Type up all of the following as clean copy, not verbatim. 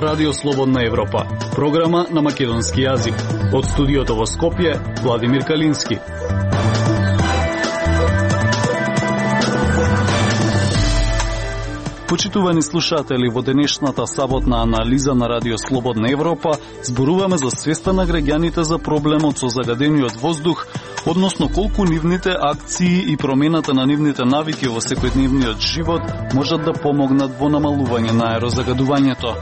Радио Слободна Европа, програма на македонски јазик. Од студиото во Скопје, Владимир Калински. Почитувани слушатели, во денешната саботна анализа на Радио Слободна Европа зборуваме за свеста на граѓаните за проблемот со загадениот воздух, односно колку нивните акции и промената на нивните навики во секојдневниот живот можат да помогнат во намалување на аерозагадувањето.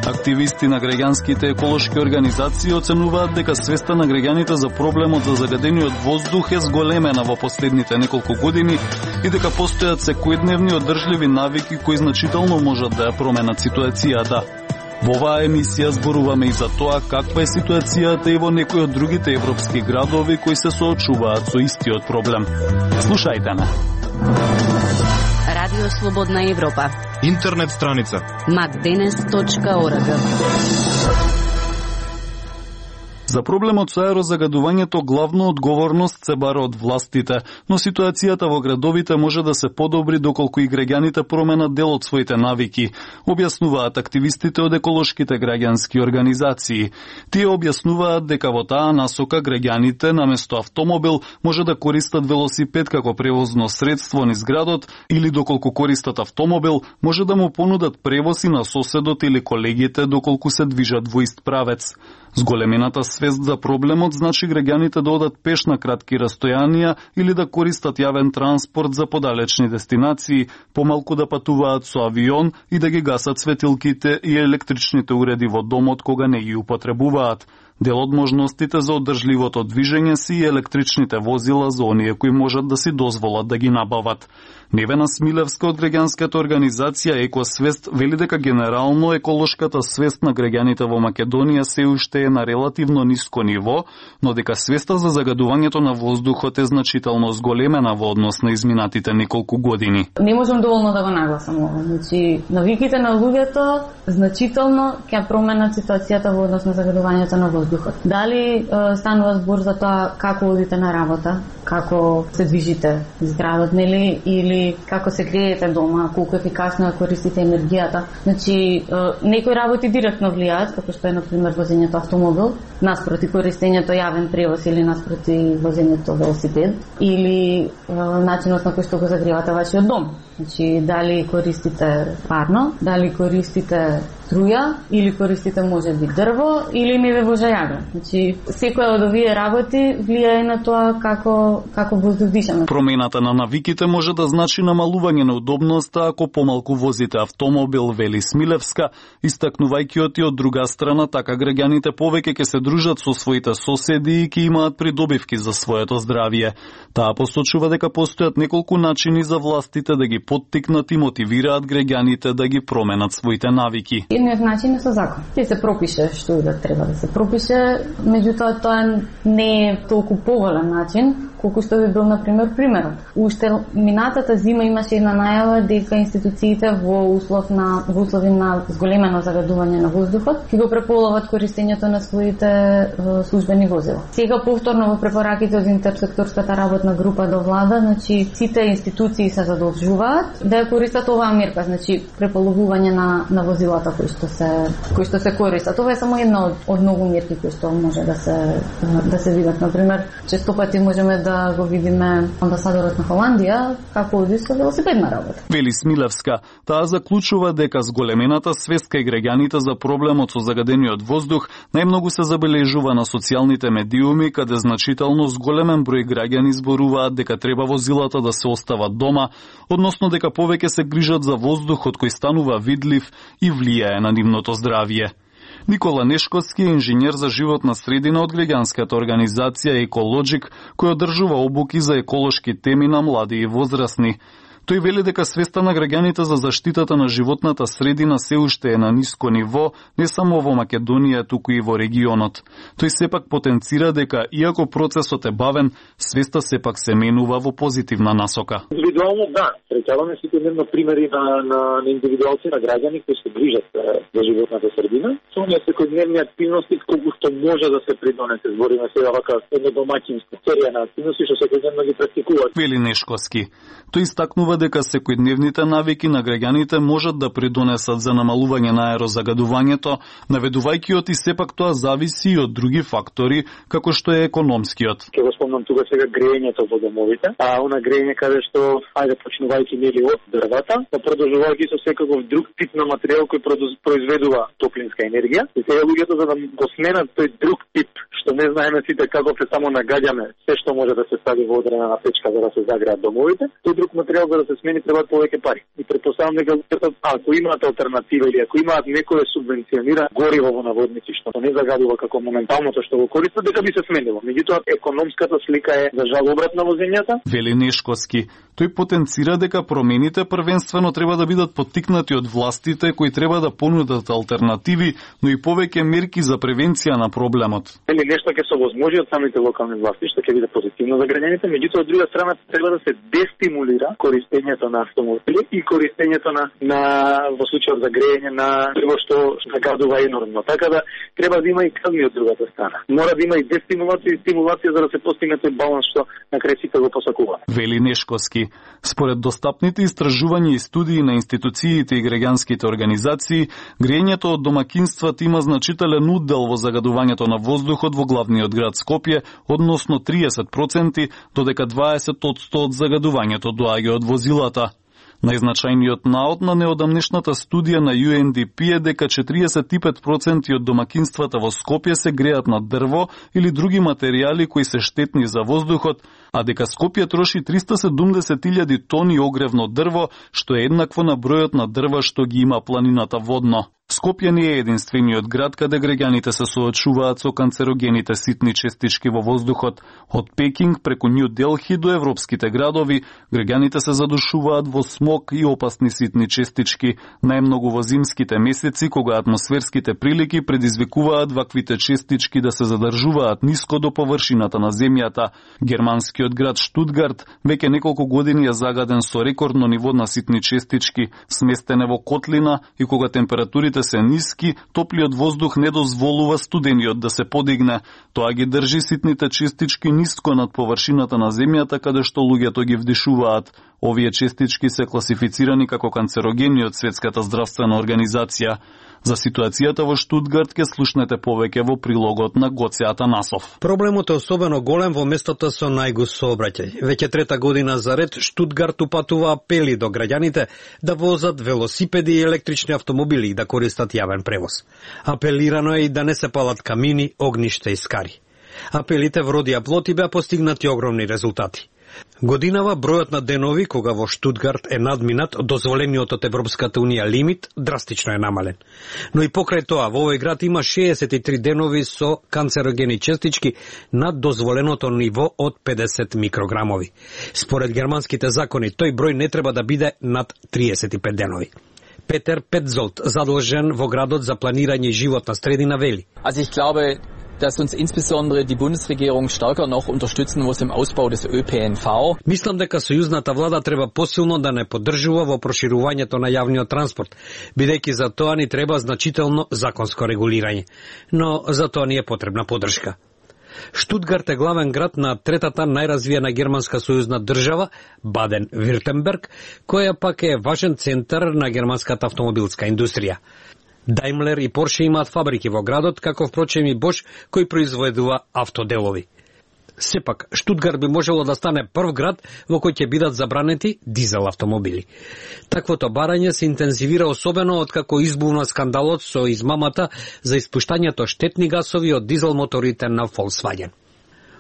Активисти на граѓанските еколошки организации оценуваат дека свеста на граѓаните за проблемот за загадениот воздух е зголемена во последните неколку години и дека постојат секојдневни одржливи навики кои значително можат да ја променат ситуацијата. Во оваа емисија зборуваме и за тоа каква е ситуацијата и во некои од другите европски градови кои се соочуваат со истиот проблем. Слушајте ме. Радио Слободна Европа. Интернет страница macdenes.org. За проблемот со аерозагадувањето главно одговорност се бара од властите, но ситуацијата во градовите може да се подобри доколку и граѓаните променат дел од своите навики, објаснуваат активистите од еколошките граѓански организации. Тие објаснуваат дека во таа насока граѓаните наместо автомобил може да користат велосипед како превозно средство низ градот или доколку користат автомобил може да му понудат превоз и на соседот или колегите доколку се движат во ист правец. Зголемената свест за проблемот значи граѓаните да одат пеш на кратки растојанија или да користат јавен транспорт за подалечни дестинации, помалку да патуваат со авион и да ги гасат светилките и електричните уреди во домот кога не ги употребуваат. Дел од можностите за одржливото движење си и електричните возила за оние кои можат да си дозволат да ги набават. Невена Смилевска од граѓанската организација Екосвест вели дека генерално еколошката свест на граѓаните во Македонија се уште е на релативно ниско ниво, но дека свеста за загадувањето на воздухот е значително зголемена во однос на изминатите неколку години. Не можам доволно да го нагласам ова. Значи, навиките на луѓето значително ќе променат ситуацијата во однос на загадувањето на воздухот. Дали станува збор за тоа како одите на работа, како се движите из градот, нели, или како се греете дома, колку ефикасно ја користите енергијата. Значи, некои работи директно влијаат, како што е, например, возењето автомобил, наспроти користењето јавен превоз или наспроти возењето велосипед, или начинот на кој што го загревате вашиот дом. Значи, дали користите парно, дали користите струја, или користите можеби дрво, или не ве вожа јаган. Значи, секоја од овие работи влијае на тоа како воздух дишаме. Промената на навиките може да значи намалување на удобноста ако помалку возите автомобил, вели Смилевска, истакнувајќи од друга страна така граѓаните повеќе ќе се дружат со своите соседи и ќе имаат придобивки за своето здравје. Таа посочува дека постојат неколку начини за властите да ги поттикнат и мотивираат граѓаните да ги променат своите навики. Едниот начин е со закон. Ти се пропише што и да треба да се пропише, меѓутоа тоа не е толку поволен начин колку што би бил, например, примерот. Уште минатата зима имаше една најава дека институциите во услови на зголемено загадување на воздухот ќе го преполоват користењето на своите службени возила. Сега повторно во препораките од интерсекторската работна група до влада, значи сите институции се задолжуваат да ја користат оваа мерка, значи преполовување на возилата кои што се користат. Тоа е само една од многу мерки кои што може да се видат. Например, често пати можеме да го видиме амбасадорот на Холандија како оди со велосипед на работа. Вели Смилевска, таа заклучува дека зголемената свест кај граѓаните за проблемот со загадениот воздух најмногу се забележува на социјалните медиуми, каде значително зголемен број граѓани зборуваат дека треба возилата да се остават дома, односно дека повеќе се грижат за воздухот кој станува видлив и влијае на нивното здравје. Никола Нешковски е инженер за животна средина од граѓанската организација Екологик, кој одржува обуки за еколошки теми на млади и возрастни. Тој вели дека свеста на граѓаните за заштитата на животната средина се уште е на ниско ниво, не само во Македонија, туку и во регионот. Тој сепак потенцира дека, иако процесот е бавен, свеста сепак се менува во позитивна насока. Индивидуално да, среќаваме секојдневно примери на индивидуалци, на граѓани кои се грижат за животната средина. Со оние секојдневни активности колку што може да се придонесе, збориме сега вака едно домаќинско серија на активности што секојдневно ги практикуваат. Вели Нешковски. Тој истакнува истакнува дека секојдневните навики на граѓаните можат да придонесат за намалување на аерозагадувањето, наведувајќи и сепак тоа зависи и од други фактори, како што е економскиот. Ќе го спомнам тука сега грејењето во домовите, она грејење каде што почнувајќи нели од дрвата, па продолжувајќи со секаков друг тип на материјал кој произведува топлинска енергија. И сега луѓето за да го сменат тој друг тип, што не знаеме сите како се само нагаѓаме се што може да се стави во одредена печка за да се загреат домовите, тој друг материјал за да се смени требаат повеќе пари. И претпоставам дека луѓето, ако имаат алтернатива или ако имаат некое субвенционира гориво во наводници што не загадува како моменталното што го користат, дека би се сменило. Меѓутоа економската слика е за жал обратна во земјата. Вели Нешковски. Тој потенцира дека промените првенствено треба да бидат поттикнати од властите кои треба да понудат алтернативи, но и повеќе мерки за превенција на проблемот. Нешто ќе се овозможи од самите локални власти, што ќе биде позитивно за граѓаните, меѓутоа од друга страна треба да се дестимулира користењето на автомобили и користењето на во случајот за грејење на дрво што загадува енормно. Така да треба да има и казни од другата страна. Мора да има и дестимулација и стимулација за да се постигне тој баланс што на крај сите го посакуваат. Вели Нешковски. Според достапните истражувања и студии на институциите и граѓанските организации, грејењето од домакинствата има значителен удел во загадувањето на воздухот во главниот град Скопје, односно 30%, додека 20% од загадувањето доаѓа од возилата. Најзначајниот наод на неодамнешната студија на UNDP е дека 45% од домакинствата во Скопје се греат на дрво или други материјали кои се штетни за воздухот, а дека Скопје троши 370.000 тони огревно дрво, што е еднакво на бројот на дрва што ги има планината водно. Скопје не е единствениот град каде граѓаните се соочуваат со канцерогените ситни честички во воздухот. Од Пекинг преку Нью Делхи до европските градови, граѓаните се задушуваат во смог и опасни ситни честички, најмногу во зимските месеци кога атмосферските прилики предизвикуваат ваквите честички да се задржуваат ниско до површината на земјата. Германскиот град Штутгарт веќе неколку години е загаден со рекордно ниво на ситни честички, сместене во котлина и кога температурите се ниски, топлиот воздух не дозволува студениот да се подигне. Тоа ги држи ситните честички ниско над површината на земјата каде што луѓето ги вдишуваат. Овие честички се класифицирани како канцерогени од Светската здравствена организација. За ситуацијата во Штутгарт ке слушнете повеќе во прилогот на Гоце Атанасов. Проблемот е особено голем во местото со најгуст сообраќај. Веќе трета година за ред Штутгарт упатува апели до граѓаните да возат велосипеди и електрични автомобили и да користат јавен превоз. Апелирано е и да не се палат камини, огништа и скари. Апелите вродија плод и беа постигнати огромни резултати. Годинава бројот на денови кога во Штутгарт е надминат дозволениот од Европската унија лимит драстично е намален. Но и покрај тоа во овој град има 63 денови со канцерогени честички над дозволеното ниво од 50 микрограмови. Според германските закони тој број не треба да биде над 35 денови. Петер Петзолт, задолжен во градот за планирање и животна средина, вели. Dass uns insbesondere die Bundesregierung stärker noch unterstützen muss im Ausbau des ÖPNV. Мислам дека сојузната влада треба посилно да не поддржува во проширувањето на јавниот транспорт, бидејќи за тоа ни треба значително законско регулирање. Но за тоа ни е потребна поддршка. Штутгарт е главен град на третата најразвиена германска сојузна држава, Баден-Виртемберг, која пак е важен центар на германската автомобилска индустрија. Daimler и Porsche имаат фабрики во градот, како впрочем и Bosch, кој произведува автоделови. Сепак, Штутгарт би можело да стане прв град во кој ќе бидат забранети дизел автомобили. Таквото барање се интензивира особено откако избувна скандалот со измамата за испуштањето штетни гасови од дизел моторите на Volkswagen.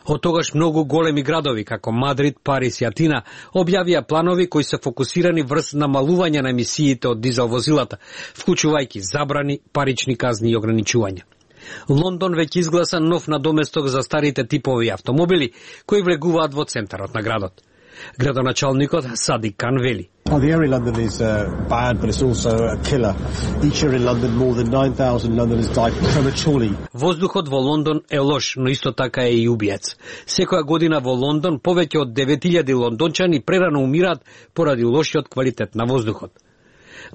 Од тогаш многу големи градови, како Мадрид, Париз и Атина, објавија планови кои се фокусирани врз намалување на емисиите од дизел возилата, вклучувајќи забрани, парични казни и ограничувања. Лондон веќе изгласа нов надоместок за старите типови автомобили, кои влегуваат во центарот на градот. Градоначалникот Садик Кан вели. The air in London is bad, but it's also a killer. Each year in London, more than 9,000 Londoners die prematurely. Воздухот во Лондон е лош, но исто така е и убиец. Секоја година во Лондон повеќе од 9.000 лондончани прерано умираат поради лошиот квалитет на воздухот.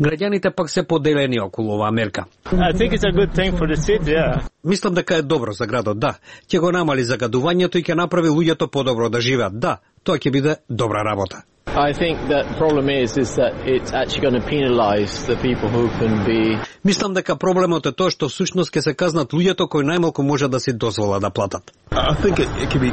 Граѓаните пак се поделени околу оваа мерка. I think it's a good thing for the city, yeah. Мислам дека е добро за градот, да. Ќе го намали загадувањето и ќе направи луѓето подобро да живеат, да. тоа ќе биде добра работа. I think that the problem is that it's actually going to penalize the people who can be. Мислам дека проблемот е тоа што всушност ќе се казнат луѓето кои најмалку може да си дозволат да платат. I think it can be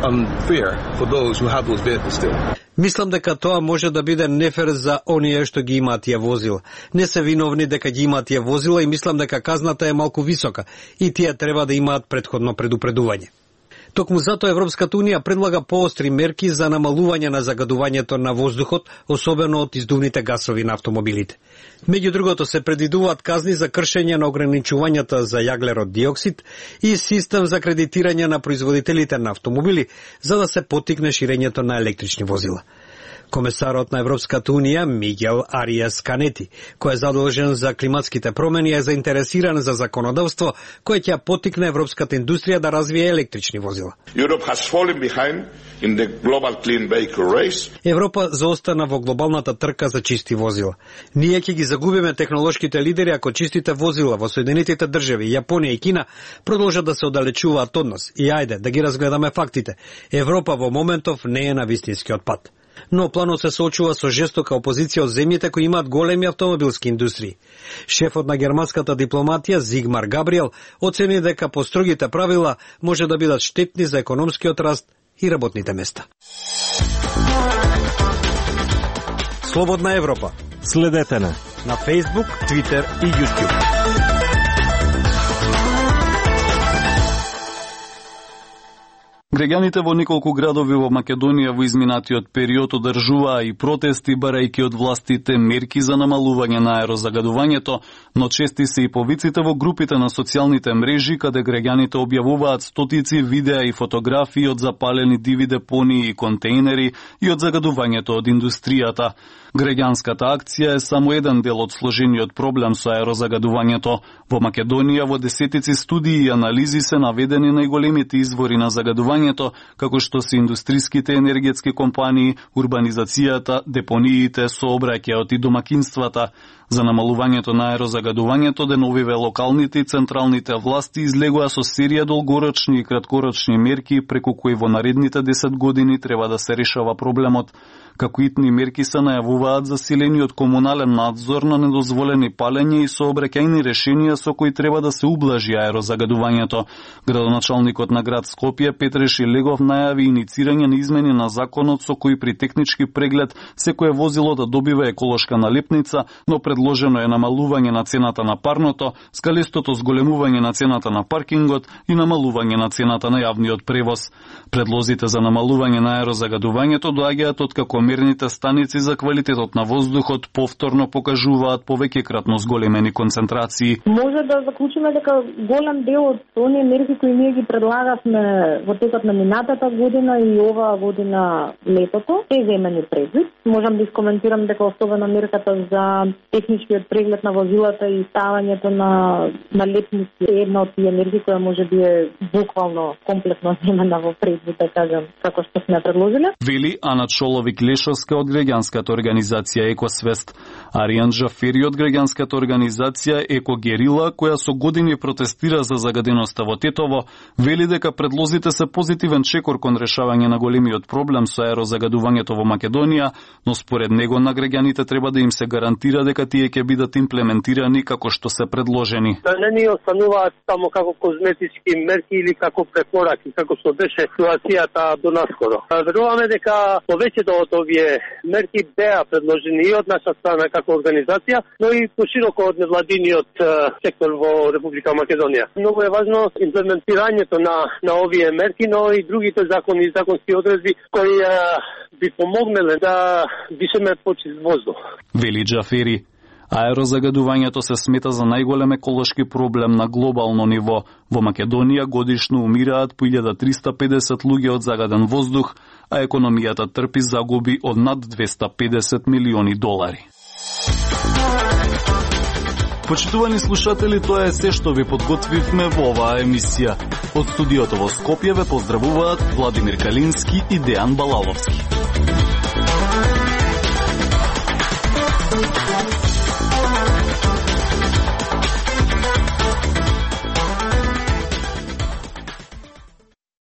unfair for those who have those vehicles still. Мислам дека тоа може да биде нефер за оние што ги имаат тие возила. Не се виновни дека ги имаат тие возила и мислам дека казната е малку висока и тие треба да имаат претходно предупредување. Токму затоа Европската Унија предлага поостри мерки за намалување на загадувањето на воздухот, особено од издувните гасови на автомобилите. Меѓу другото се предвидуваат казни за кршење на ограничувањата за јаглерод диоксид и систем за кредитирање на производителите на автомобили за да се поттикне ширењето на електрични возила. Комесарот на Европската Унија Мигел Ариас Канети, кој е задолжен за климатските промени, е заинтересиран за законодавство кое ќе поттикне европската индустрија да развие електрични возила. Европа заостана во глобалната трка за чисти возила. Ние ќе ги загубиме технолошките лидери ако чистите возила во Соединетите држави, Јапонија и Кина продолжат да се оддалечуваат од нас. И ајде да ги разгледаме фактите. Европа во моментов не е на вистинскиот пат. Но планот се соочува со жестока опозиција од земјите кои имаат големи автомобилски индустрии. Шефот на германската дипломатија Зигмар Габриел оцени дека построгите правила може да бидат штетни за економскиот раст и работните места. Слободна Европа. Следете на Facebook, Twitter и YouTube. Граѓаните во неколку градови во Македонија во изминатиот период одржуваа и протести барајќи од властите мерки за намалување на аерозагадувањето, но чести се и повиците во групите на социјалните мрежи каде граѓаните објавуваат стотици видеа и фотографии од запалени диви депонии и контейнери и од загадувањето од индустријата. Граѓанската акција е само еден дел од сложениот проблем со аерозагадувањето. Во Македонија во десетици студии и анализи се наведени најголемите извори на загадувањето, како што се индустриските енергетски компании, урбанизацијата, депониите, сообраќајот и домакинствата. За намалувањето на аерозагадувањето деновиве локалните и централните власти излегоа со серија долгорочни и краткорочни мерки преку кои во наредните 10 години треба да се решава проблемот. Како итни мерки се најавуваат засилениот комунален надзор на недозволени палење и сообраќајни решенија со кои треба да се ублажи аерозагадувањето. Градоначалникот на град Скопје Петре Шилегов најави иницирање на измени на законот со кои при технички преглед секое возило да добива еколошка налепница, но предложено е намалување на цената на парното, скалистото зголемување на цената на паркингот и намалување на цената на јавниот превоз. Предлозите за намалување на аерозагадувањето доаѓаат откако мерните станици за квалитетот на воздухот повторно покажуваат повеќекратно зголемени концентрации. Може да заклучиме дека голем дел од оние мерки кои ние ги предлагавме во текот на минатата година и оваа година летото се земени предвид. Можам да искоментирам дека особено мерката за техничкиот преглед на возилата и ставањето на лепници е една од тие мерки која може би е буквално комплетно земена во предвид, да кажам, како што сме предложиле. Вели Ана Чоловик-Лешовска од граѓанската организација Екосвест. Аријан Джафери од граѓанската организација Екогерила, која со години протестира за загаденоста во Тетово, вели дека предлозите се позитивен чекор кон решавање на големиот проблем со аерозагадувањето во Македонија, но според него на граѓаните треба да им се гарантира дека тие ќе бидат имплементирани како што се предложени. Да не ни остануваат само како козметички мерки или како препораки, како што беше ситуацијата до наскоро. Веруваме дека повеќето од овие мерки беа предложени и од наша страна како организација, но и пошироко од невладиниот сектор во Република Македонија. Многу е важно имплементирањето на овие мерки, но и другите закони и законски одредби кои би помогнале да дишеме почист воздух. Вели Джафери. Аерозагадувањето се смета за најголем еколошки проблем на глобално ниво. Во Македонија годишно умираат по 1350 луѓе од загаден воздух, а економијата трпи загуби од над 250 милиони долари. Почитувани слушатели, тоа е се што ви подготвивме во оваа емисија. Од студиото во Скопје ве поздравуваат Владимир Калински и Дејан Балаловски.